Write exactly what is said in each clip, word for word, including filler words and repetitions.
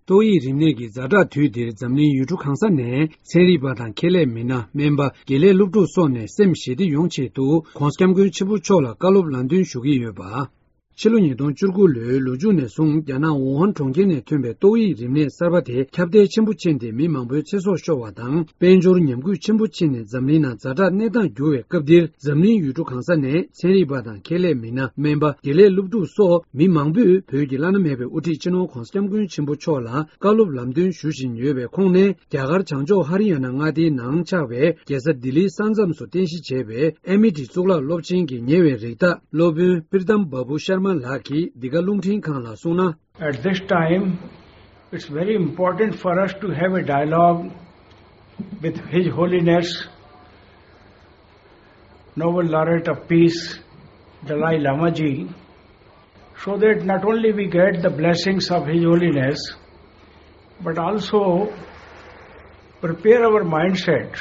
ཏོག་དབྱིབས་རིམས་ནད་ཀྱི་ཛ་དྲག་དུས་འདིར་འཛམ་གླིང་ཡུལ་གྲུ་གང་ས་ནས་ཚན་རིག་པ་དང་ཁེ་ལས་མི་སྣ། སྨན་པ། དགེ་ལས་སློབ་ཕྲུག་སོགས་ནས་སེམས་ཞི་བདེ་ཡོང་ཆེད་དུ་༸གོང་ས་༸སྐྱབས་མགོན་ཆེན་པོ་མཆོག་ལ་བཀའ་སློབ་ལམ་སྟོན་ཞུ་གི་ཡོད་པ། ཕྱི་ལོ་ཉིས་སྟོང་བཅུ་དགུ་ལོའི་ལོ་མཇུག་ནས་བཟུང་རྒྱ་ནག་ཝུ་ཧན་གྲོང་ཁྱེར་ནས་ཐོན་པའི་ཏོག་དབྱིབས་རིམས་ནད་གསར་པ་དེ་ཁྱབ་གདལ་ཆེན་པོ་ཕྱིན་ཏེ་མི་མང་པོའི་ཚེ་སྲོག་ཤོར་བ་དང་། དཔལ་འབྱོར་ཉམས་རྒུད་ཆེན་པོ་ཕྱིན་ནས་འཛམ་གླིང་ནང་ཛ་དྲག་གནས་སྟངས་འགྱུར་བའི་སྐབས་འདིར། འཛམ་གླིང་ཡུལ་གྲུ་གང་ས་ནས་ཚན་རིག་པ་དང་ཁེ་ལས་མི་སྣ། སྨན་པ། དགེ་ལས་སློབ་ཕྲུག་སོགས་མི་མང་པོས་བོད་ཀྱི་བླ་ན་མེད་པའི་དབུ་ཁྲིད་སྤྱི་ནོར་༸གོང་ས་༸སྐྱབས་མགོན་ཆེན་པོ་མཆོག་ལ་བཀའ་སློབ་ལམ་སྟོན་ཞུ་བཞིན་ཡོད་པའི་ཁོངས་ནས། རྒྱ་གར་བྱང་ཕྱོགས་ཧ་རི་ཡ་ན་མངའ་སྡེའི་ནང་ཆགས་པའི་རྒྱལ་ས་ལྡི་ལིའི་ས་མཚམས་སུ་རྟེན་གཞི་བྱས་པའི་ཨེ་མི་ཊི་གཙུག་ལག་སློབ་ཆེན་གྱི་ཉེ་བའི་རིགས་བདག་སློབ་དཔོན་པིར་ཐམ་བ་བུ་ཤར་མ་ལགས་ཀྱིས་འདི་ག་རླུང་འཕྲིན་ཁང་ལ་གསུངས་ན། At this time, it's very important for us to have a dialogue with His Holiness Nobel Laureate of Peace, Dalai Lama ji, so that not only we get the blessings of His Holiness, but also prepare our mindset.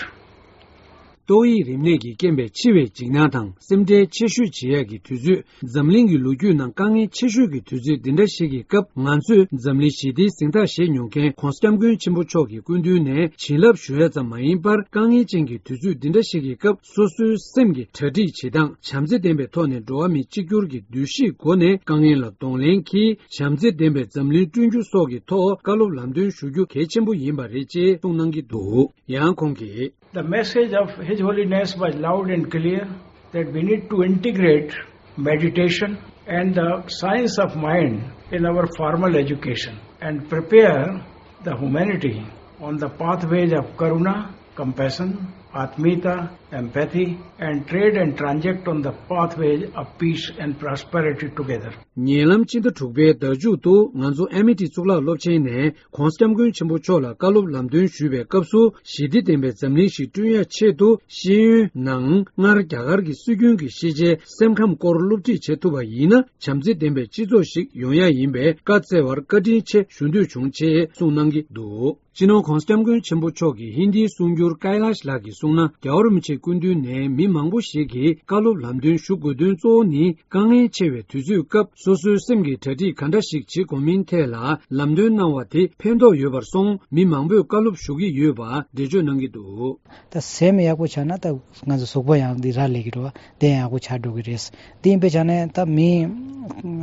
ཏོག་དབྱིབས་རིམས་ནད་ཀྱིས་རྐྱེན་པས་འཆི་བའི་འཇིགས་སྣང་དང་སེམས་ཁྲལ་ཆེ་ཤོས་བྱེད་ཡག་གི་དུས་ཚོད། འཛམ་གླིང་གི་ལོ་རྒྱུས་ནང་དཀའ་ངལ་ཆེ་ཤོས་ཀྱི་དུས་ཚོད་འདི་འདྲ་ཞིག་གི་སྐབས། ང་ཚོས་འཛམ་གླིང་ཞི་བདེའི་གཟེངས་རྟགས་བཞེས་མྱོང་མཁན་༸གོང་ས་༸སྐྱབས་མགོན་ཆེན་པོ་མཆོག་གི་སྐུ་མདུན་ནས་བྱིན་རླབས་ཞུ་ཡ་ཙམ་མ་ཡིན་པར། དཀའ་ངལ་ཅན་གྱི་དུས་ཚོད་འདི་འདྲ་ཞིག་གི་སྐབས། སོ་སོའི་སེམས་ཀྱི་གྲ་སྒྲིག་བྱེད་སྟངས། བྱམས་བརྩེ་ལྡན་པའི་ཐོག་ནས་འགྲོ་བ་མི་གཅིག་གྱུར་གྱི་འདུ་ཤེས་སྒོ་ནས་དཀའ་ངལ་ལ་གདོང་ལེན་གྱིས། བྱམས་བརྩེ་ལྡན་པའི་འཛམ་གླིང་བསྐྲུན་རྒྱུ་སོགས་ཀྱི་ཐོག་བཀའ་སློབ་ལམ་སྟོན་ཞུ་རྒྱུ་གལ་ཆེན་པོ་ཡིན་པ་རེད་ཅེས་གསུངས་གནང་གི་འདུག་ཡང་ཁོང་གིས། The message of His Holiness was loud and clear that we need to integrate meditation and the science of mind in our formal education and prepare the humanity on the pathways of karuna, compassion, atmita, empathy, and trade and transact on the pathways of peace and prosperity together. ཉེ་ལམ་ཕྱི་ཟླ་དྲུག་པའི་ཟླ་མཇུག་ཏུ་ང་ཚོ་ཨེ་མི་ཊི་གཙུག་ལག་སློབ་ཆེན་ནས་༸གོང་ས་༸སྐྱབས་མགོན་ཆེན་པོ་མཆོག་ལ་བཀའ་སློབ་ལམ་སྟོན་ཞུས་པའི་སྐབས་སུ། ཞི་བདེ་ལྡན་པའི་འཛམ་གླིང་ཞིག་བསྐྲུན་ཡ་ཆེད་དུ། ཤེས་ཡོན་ནང་སྔར་རྒྱ་གར་གྱི་སྲོལ་རྒྱུན་གྱི་ཤེས་བྱའི་སེམས་ཁམས་སྐོར་སློབ་ཁྲིད་བྱེད་ཐུབ་པ་ཡིན་ན། བྱམས་བརྩེ་ལྡན་པའི་སྤྱི་ཚོགས་ཤིག་ཡོང་ཡ་ཡིན་པས་བཀའ་སྩལ་བར་བཀའ་དྲིན་ཆེ་ཞུ་འདོད་བྱུང་ཅེས་གསུངས་གནང་གི་འདུག་སྤྱི་ནོར་༸གོང་ས་༸སྐྱབས་མགོན་ཆེན་པོ་མཆོག་གི་ཧིན་དིའི་གསུང་སྒྱུར་ཀའི་ལཱཤ་ལགས་ཀྱིས་གསུངས་ན། རྒྱལ་བ་རིན་པོ་ཆེའི་སྐུ་མདུན་ནས་མི་མང་པོ་ཞིག་གིས་བཀའ་སློབ་ལམ་སྟོན་ཞུ་དགོས་དོན་གཙོ་བོ་ནི། དཀའ་ངལ་ཆེ་བའི་དུས་ཚོད་སྐབས། སོ་སོའི་སེམས་ཀྱི་གྲ་སྒྲིག་ག་འདྲ་ཞིག་བྱེད་དགོས་མིན་ཐད་ལ་ལམ་སྟོན་གནང་བ་དེ་ཕན་ཐོགས་ཡོད་པར་སོང་། མི་མང་པོས་བཀའ་སློབ་ཞུ་གི་ཡོད་པ་འགྲེལ་བརྗོད་གནང་གི་འདུག་ད་སེམས་ཡག་པོ་ཆགས་ན་ད་ང་ཚོ་གཟུགས་པོ་ཡང་འདི་རག་ལས་ཀྱི་རེད་བ། དེ་ཡང་ཡག་པོ་ཆགས་འགྲོ་གི་རེད། དེ་ཡིན་པའི་ཆ་ནས་ད་མི་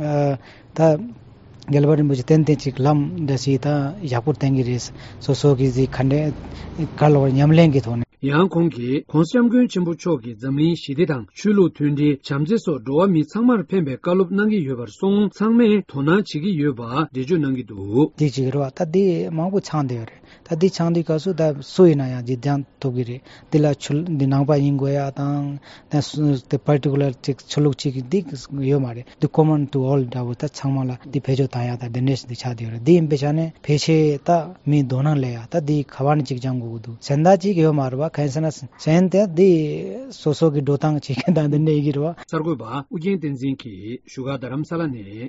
ཨ་ད་རྒྱལ་བ་རིན་པོ་ཆེ་ཏན་ཏན་ཅིག་ལམ་འདྲ་ཞིག་ད་ཡག་པོ་བསྟན་གི་རེད། སོ་སོ་གི་ཟིག་ག་འདྲ་ག་ལ་བར་ཉམས་ལེན་གྱི་ཐོག་ནས། ཡང་ཁོང་གིས་༸གོང་ས་༸སྐྱབས་མགོན་ཆེན་པོ་མཆོག་གིས་འཛམ་གླིང་ཞི་བདེ་དང་། ཆོས་ལུགས་མཐུན་སྒྲིལ། བྱམས་བརྩེ་སོགས་འགྲོ་བ་མི་ཚང་མར་ཕན་པའི་བཀའ་སློབ་གནང་གི་ཡོད་པར་སོང་། ཚང་མས་དོ་སྣང་བྱེད་ཀྱི་ཡོད་པ་འགྲེལ་བརྗོད་གནང་གི་འདུག་དེ་ཅིག་རེད་བ། ད་འདི་མང་པོ་ཚང་བསྡད་ཡོད་རེད། ད་འདི་ཚང་དུས་སྐབས་སུ་ད་སུ་ཡིན་ན་ཡང་འདི་སྦྱང་ཐུབ་ཀྱི་རེད། འདི་ལ་ཆོས་འདི་ནང་པ་ཡིན་དགོས་ཡ་དང་། ད་སུ་དེ་པར་ཊི་ཀུ་ལར་ཅིག་ཆོས་ལུགས་ཅིག་འདི་ཡོད་མ་རེད། འདི་common to all འདྲ་བོ། ད་ཚང་མ་ལ་འདི་བེད་སྤྱོད་བཏང་ཡ་ད་འདི་འདྲས་འདི་ཆགས་བསྡད་ཡོད་རེད། འདི་ཡིན་པའི་ཆ་ནས་ཕལ་ཆེར་ད་མི་དོ་སྣང་སླེབས་ཡ་ད་འདི་ག་བ་ནས་ཅིག་སྦྱང་དགོས་ཀྱི་འདུག་གཞན་དག་ཅིག་ཡོད་མ་རེད་བ། གང་ཡིན་ཟེར་ན་གཞན་དེ་འདི་སོ་སོ་གི་འགྲོ་སྟངས་བྱེད་མཁན་དང་འདི་འདྲས་ཡིན་གྱི་རེད་བ། གསར་འགོད་པ་ཨུ་རྒྱན་བསྟན་འཛིན་གྱིས་བཞུགས་སྒར་རྡ་རམ་ས་ལ་ནས།